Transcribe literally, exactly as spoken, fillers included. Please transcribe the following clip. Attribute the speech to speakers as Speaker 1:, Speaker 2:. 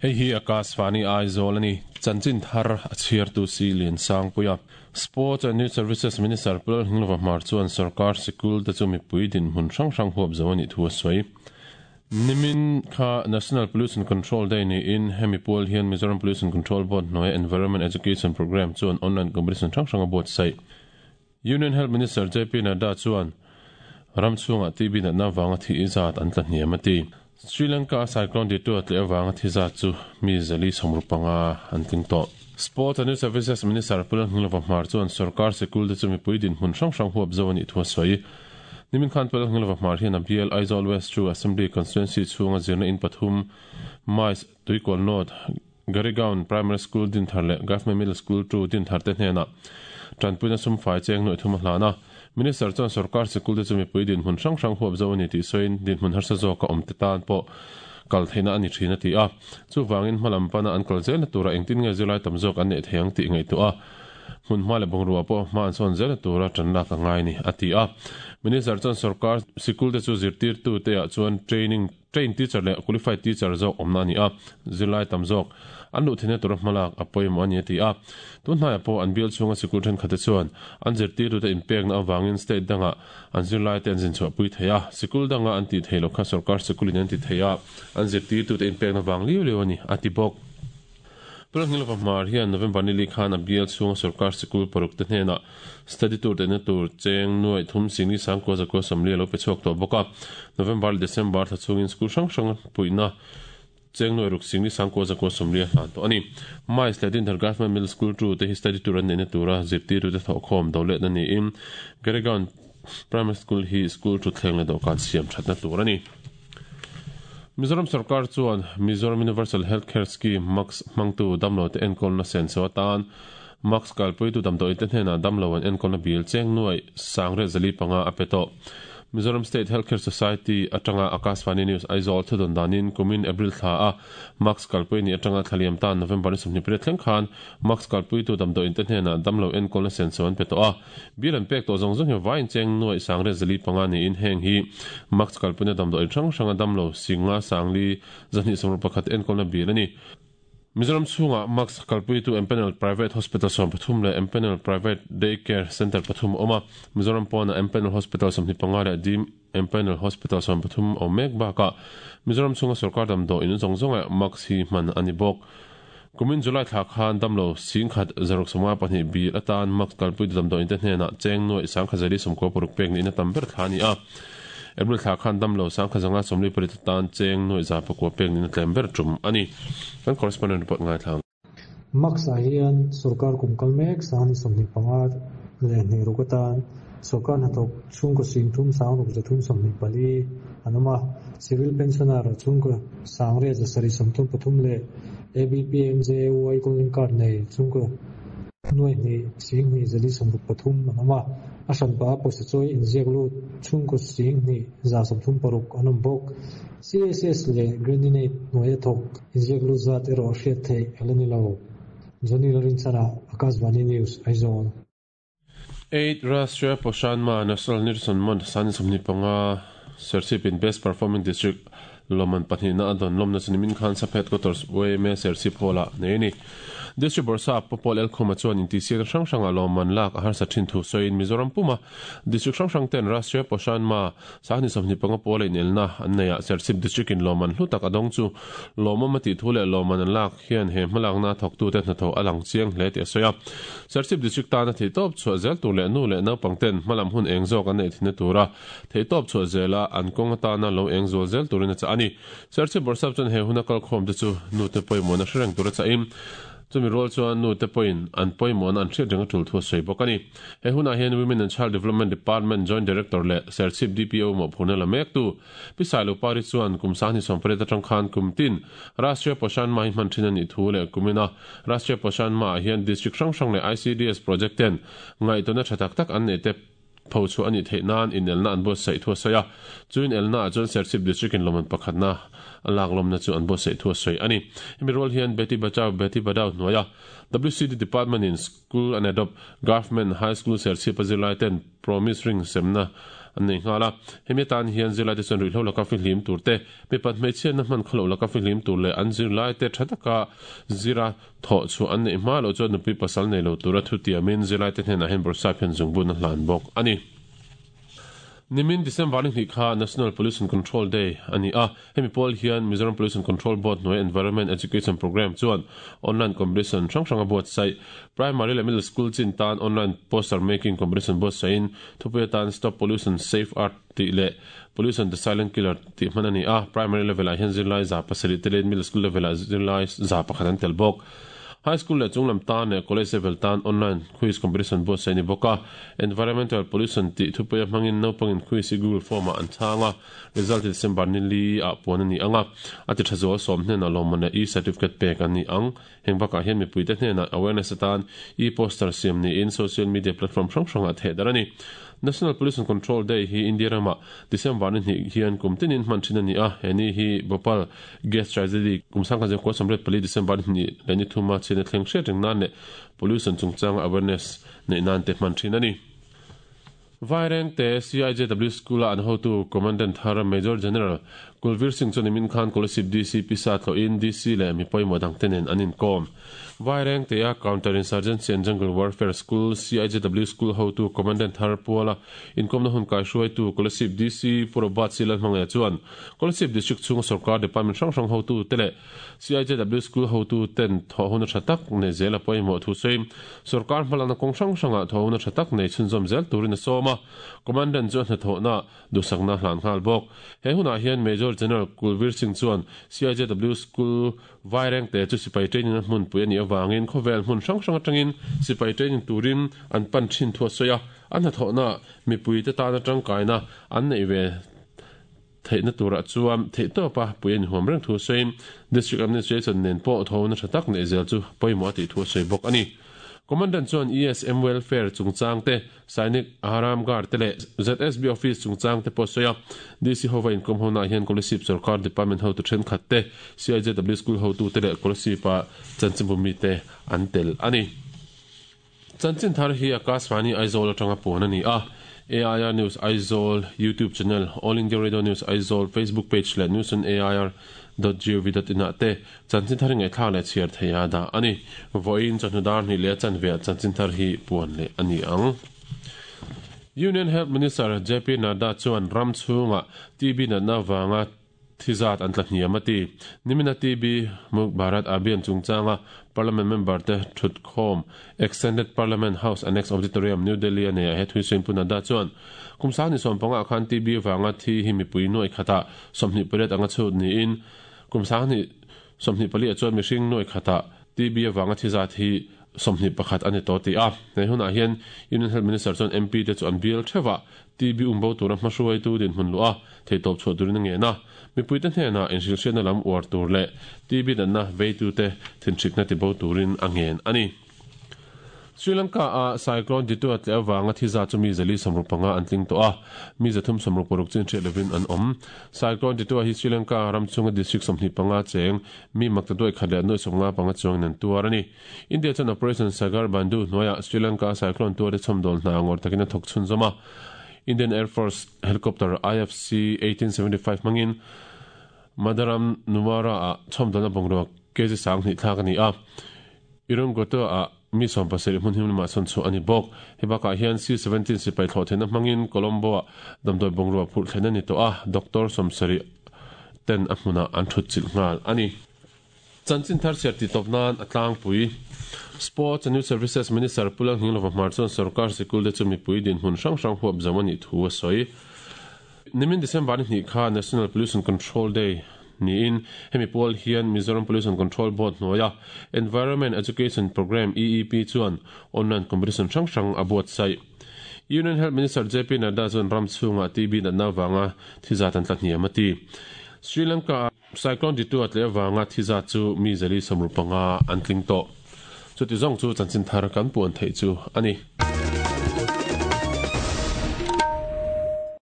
Speaker 1: Hei hi Akashvani Aizawl ani chanchin thar a chhiartu si lian sangpuia Sports and Youth Services Minister Pu Lalnghinglova Hmar chuan sarkar sikul te chu mipui dinhmun hrang hrang huap zo a nih thu a sawi. Nimin kha National Pollution Control Day niin hemi pual hian Mizoram Pollution Control Board hnuaia Environment Education Programme chuan online competition hrang hrang a buatsaih. Union Health Minister JP Nadda chuan ram chhungah T B natna avanga thi zat an tla hniam a ti. Sri Lanka-a cyclone Ditwah tleh avanga thi zat chu mi zali sawmru panga an tling tawh. Sports and Youth Services Minister Pu Lalnghinglova Hmar chuan sorkar sikul te chu mipui dinhmun hrang hrang huap zo a nih thu a sawi. Nimin khan Pu Lalnghinglova Hmar hian a bial Aizawl West chu Assembly Constituency chhunga zirna in pathum Mais, Tuikual North, Garigaon Primary School Dinthar leh Government Middle School two Dinthar te hnenah tanpuina sum fai cheng nuaih thum a hlan a. Minister chuan sorkar sikul te chu mipui dinhmun hrang hrang huap zo a ni tih sawiin dinhmun harsa zawk a awm te tan pawh kal theihna a ni thin a ti a. Chuvangin hmalam pana an kal zelna tura engtin nge zirlai tam zawk an neih thei ang tih ngaihtuah a, hmun hma leh bungrua pawh hma an sawn zelna tura tan lak a ngai ni a ti a. Minister chuan sorkar sikul te chu zirtirtu te ah chuan training trained teacher leh qualified teacher zawk awmna a ni a, zirlai tam zawk an luh theihna tura hmalak a pawimawh a ni a ti a. Tun hnaiah pawh an bial chhunga sikul thenkhatte chuan an zirtirtute inpekna avangin state dangah an zirlaite an zinchhuahpui thei a, sikul danga an tih theih loh kha sorkar sikulin an ti thei a, an zirtirtute inpekna vang liu liu a ni a ti bawk. Pulanghnilova Hmar hian November nili khan a bial chhunga sorkar sikul paruk te hnenah study tour tehna tur cheng nuaih thum singli sangkua zakua sawmli a lo pe chhuak tawh bawk a. November leh December thla chhungin school hrang hrang puihna cheng nuaih ruk singli sangkua zakua sawmli a hlan tawh a ni. Mais leh Dinthar Government Middle School two te hi study tour an neihna tura zirtirtute thawhkhawm do letna niin Garigaon Primary School hi school thutthleng leh dawhkan siam thatna tur a ni. Mizoram sarkar chuan Mizoram Universal Health Care Scheme, MUHCS, hmangtu damlote enkawlna senso atan MUHCS kalpuitu damdawiite hnenah damlo an enkawlna bil cheng nuaih sangriat zali panga a pe tawh. Mizoram State Health Care Society atanga Akashvani News Aizawl thudawn danin kumin April thla a MUHCS kalpui ni atanga thlaliam tan November ni sawmhnih pariat thleng khan MUHCS kalpuitu damdawiinte hnenah damlo enkawlna senso an pe tawh a. Bil an pek tawh zawng zawng hi vaiin cheng nuaih sangriat zali panga niin heng hi MUHCS kalpuina damdawiin hrang hranga damlo singa sangli zahnih sawmruh pakhat enkawlna bil a ni. Mizoram chhungah MUHCS kalpuitu Empanel Private Hospital sawm pathum leh Empanel Private Day Care Centre pathum a awm a. Mizoram pawnah Empanel Hospital sawmhnih panga leh Dim Empanel Hospital sawm pathum a awm mek bakah Mizoram chhunga sorkar damdawiin zawng zawngah MUHCS hi hman a ni bawk. Kumin July thla khan damlo singkhat zaruk sawmnga pahnih bil atan MUHCS kalpuitu damdawiin te hnenah cheng nuaih sangkhat zali sawmkua paruk pek niin a tam ber thla a ni a. April thla khan damlo sangkhat zanga sawmli pariat atan cheng nuaih za pakua pek niin a tlem ber tum a ni. Kan correspondent report ngaithla ang.
Speaker 2: MUHCS ah hian sorkar kum kal mek sangni sawmhnih panga leh hnih ruk atan sorkar hnathawk chhungkaw singthum sangruk zathum sawmhnih pali an awm a. Civil pensioner chhungkaw sangriat zasarih sawmthum pathum leh A B P M J A Y Golden Card nei chhungkaw nuaihnih singhnih zali sawmruk pathum an awm a. A hranpa a pawisa chawi inziak lut chhungkaw singhnih za sawmthum paruk an awm bawk. C S S leh Grant-in-Aid hnuaia thawk inziak lut zat erawh hriat theih a la ni lo. Johnny Lalrinchhana, Akashvani News, Aizawl.
Speaker 1: Eight Rashtriya Poshan Maah National Nutrition Month sani sawmhnih panga Serchhip-in Best Performing District lawmman pahnihna a dawn lawmna chu nimin khan Sap Headquarters Y M A Serchhip Hall-ah nei a ni. District Bawrhsap Pu Paul Elkhuma chuan intihsiakna hrang hrangah lawmman lak a harsa thin thu sawiin Mizoram puma District hrang hrang ten Rashtriya Poshan Maah sangni sawmhnih panga pawl a inelna an nei ah Serchhip District-in lawmman hlu tak a dawng chu lawmawm a tih thu leh lawmman an lak hian he hmalakna thawktute hnathawh a lang chiang hle tih a sawi a. Serchhip District tana theihtawp chhuah zel tur leh nu leh naupang ten hmalam hun eng zawk an neih thinna tura theihtawp chhuah zela an kawng atana lo eng zual zel turin a chah a ni. Serchhip Bawrhsap chuan he huna kalkhawm te chu nute pawimawhna hre reng tura chahin chumi rual chuan nute pawhin an pawimawhna an hriat reng a tul thu a sawi bawk a ni. He hunah hian Women and Child Development Department Joint Director leh Serchhip D P O mawhphurhna la mektu Pi Sailo Pari chuan kum sangni sawmpariat atang khan kum tin Rashtriya Poshan Maah hi hman thin a nih thu leh kumina Rashtriya Poshan Maah hian District hrang hrang leh I C D S project ten ngaihtuahna tha tak tak an neih te pho chhuah a nih theih nan inelna an buatsaih thu a sawi a. Chu inelna ah chuan Serchhip District in lawmman pakhatna a lak lawmna chu an buatsaih thu a sawi a ni. Hemi rual hian Beti Bachao Beti Padhao hnuaia W C D Department in School and Adopt Government High School Serchhip a zirlai ten Promise Ring semna an nei nghala hemi tan hian zirlai te chuan ruihhlo laka fihlim tur te mipat hmeichhia na hman khawlo laka fihlim tur leh an zirlai te tha taka zira thaw chu an nei hma lo chuan nupui pasal nei lo tura thu tiamin zirlai te hnenah hian bawrhsap hian zungbun a hlan bawk ani. Nimin December ni kha National Pollution Control Day ani a hemi pawl hian Mizoram Pollution Control Board hnuai Environment Education Program chuan online competition hrang hrang a buatsaih primary leh middle school chin tan online poster making competition buatsaihin thupui atan Stop Pollution Save Earth tih leh Pollution the Silent Killer tih hman ani a primary level ah hian zirlai za pasarih te leh middle school level ah zirlai za pakhat an tel bawk. High school leh chunglam tan leh college level tan online quiz competition buatsaih ni bawk a environmental pollution tih thupui a hmangin naupangin quiz hi Google form ah an chhang a result hi December ni li ah puan ani ang a a ti tha zual sawm hnenah lawmman leh e-certificate pek an ni ang heng bakah hian mipuite hnenah awareness atan e-poster siam niin social media platform hrang hrangah theh dar ani. National Pollution Control Day hi India rama December ni hnih hian kum tinin hman thin ani a heni hi Bhopal gas tragedy kum sangkhat zeng kua sawmriat pali December ni hnih leh ni thuma chhiatna thleng hriat reng nan leh pollution chungchanga awareness neih nan te hman thin ani. Vaireng te C I J W School a an hotu Commandant thar Major General Kulvir Singh chuan nimin khan Kolasib D C P sa thlawhin D C leh mi pawimawh dang te nen an inkawm. Vaireng te a Counter Insurgency and Jungle Warfare School C I J W School hotu Commandant thar Puala inkawmna hun kai hruaitu Kolasib D C Purobat Silal hmangah chuan Kolasib District chhunga sarkar department hrang hrang hotu te leh C I J W School hotu ten thaw hun a tha tak nei zel a pawimawh thu sawi sarkar hmalakna kawng hrang hrangah thaw hun a tha tak nei chhunzawm zel turin a sawm a Commandant chu a hnathawhna duhsakna hlan nghal bawk. He hunah hian Major General Kulvir Singh chuan C I J W School Vaireng te chu sipai training a hmun pui ani awangin khawvel hmun hrang hrang atangin sipai training turin an pan thin thu a sawi a an hnathawhna mipui te tan atangkaina an nei ve theihna turah chuan theih tawpa pui ani huam reng thu sawiin District Administration nen pawh thawna tha tak nei zel chu pawimawh a tih thu a sawi bawk ani. Commandant chuan E S M Welfare chungchang te Sainik Aram Guard te leh Z S B Office chungchang te pawh sawi a D C hova inkawm hona hian Kolasib sarkar department hotu thenkhat te C I J W School hotu te leh Kolasib a chanchinbumi te an tel ani. Chanchin thar hi Akashvani Aizawl atanga puan ani a A I R News Aizawl YouTube channel All India Radio News Aizawl Facebook page leh news on A I R dot gov dot in ah te chanchin thar ngai thla leh chhiar theia da ani voin chawhnu ni leh chanve chanchin thar hi puan leh ani ang. Union Health Minister J P Nadda chuan ram chhunga T B natna wanga thizat an tla hniam ati nimina T B Muk Bharat Abhiyan chungchanga Parliament member te thut khawm Extended Parliament House Annex Auditorium New Delhi ane a he thui sawiin pu Nadda chuan kum sang ni sawm panga khan T B wanga thi hi mipui nuai khata sawmhnih pariat anga chhut niin kum sang ni sawmhnih pali a chuan mihring nuai khata T B wanga thizat hi sawmhnih pakhat ani to ti a nei hunah hian Union Health Minister chuan M P te chu an bial thewa T B umbo tura hmahruai tu din hmun lu a theitawp chhuah turin a nge na mipui te hnenah inhrilhriatna lam uar tur leh T B natna veitu te thinhrikna ti bo turin a ngen ani. Sri Lanka a cyclone Ditwah tle awanga thiza chu mi zali sawmruk panga an tling tawh a mi zathum sawmruk paruk chin hriat lovin an awm. Cyclone Ditwah hi Sri Lanka ram chunga district sawmhnih panga cheng mi makta duai khat leh nuai sawmnga panga chuang nan tuar ani. India chuan Operation Sagar Bandhu hnuaiah Sri Lanka cyclone tuar te chhawmdawl hna ngawr takin a thawk chhun zawm a Indian Air Force helicopter I F C eighteen seventy-five mangin Madaram Nuwara a chhawmdawlna bungrua K G sang hnih thlak ani a Irungoto a mi sawm pasarih hmun him lamah sawn chu ani bawk. Hebakah hian C seventeen sipai thlawh theihna hmangin Colombo a damdawi bungrua phurh thlen ani tawh a Doctor sawmsarih ten a hmunah an thut chilh nghal ani. Chanchin thar chhiar ti tawp nan a tlangpui Sports and Youth Services Minister Pulang Hninglova Hmar chuan sarkar sikul te chu mipui din hmun hrang hrang huap zawm ani thu a sawi. Nimin December ni hnih kha National Pollution Control Day niin hemi pawl hian Mizoram Pollution Control Board hnuaia Environment Education Program E E P chuan online competition hrang hrang a buatsaih. Union Health Minister J P Nadda chuan ram chhunga T B natna wanga thizat an tla hniam ati. Sri Lanka cyclone Ditwah tle wanga thizat chu mi zali sawmruk panga an tling tawh. Chuti zawng chu chanchin thar kan puan theih chu ani.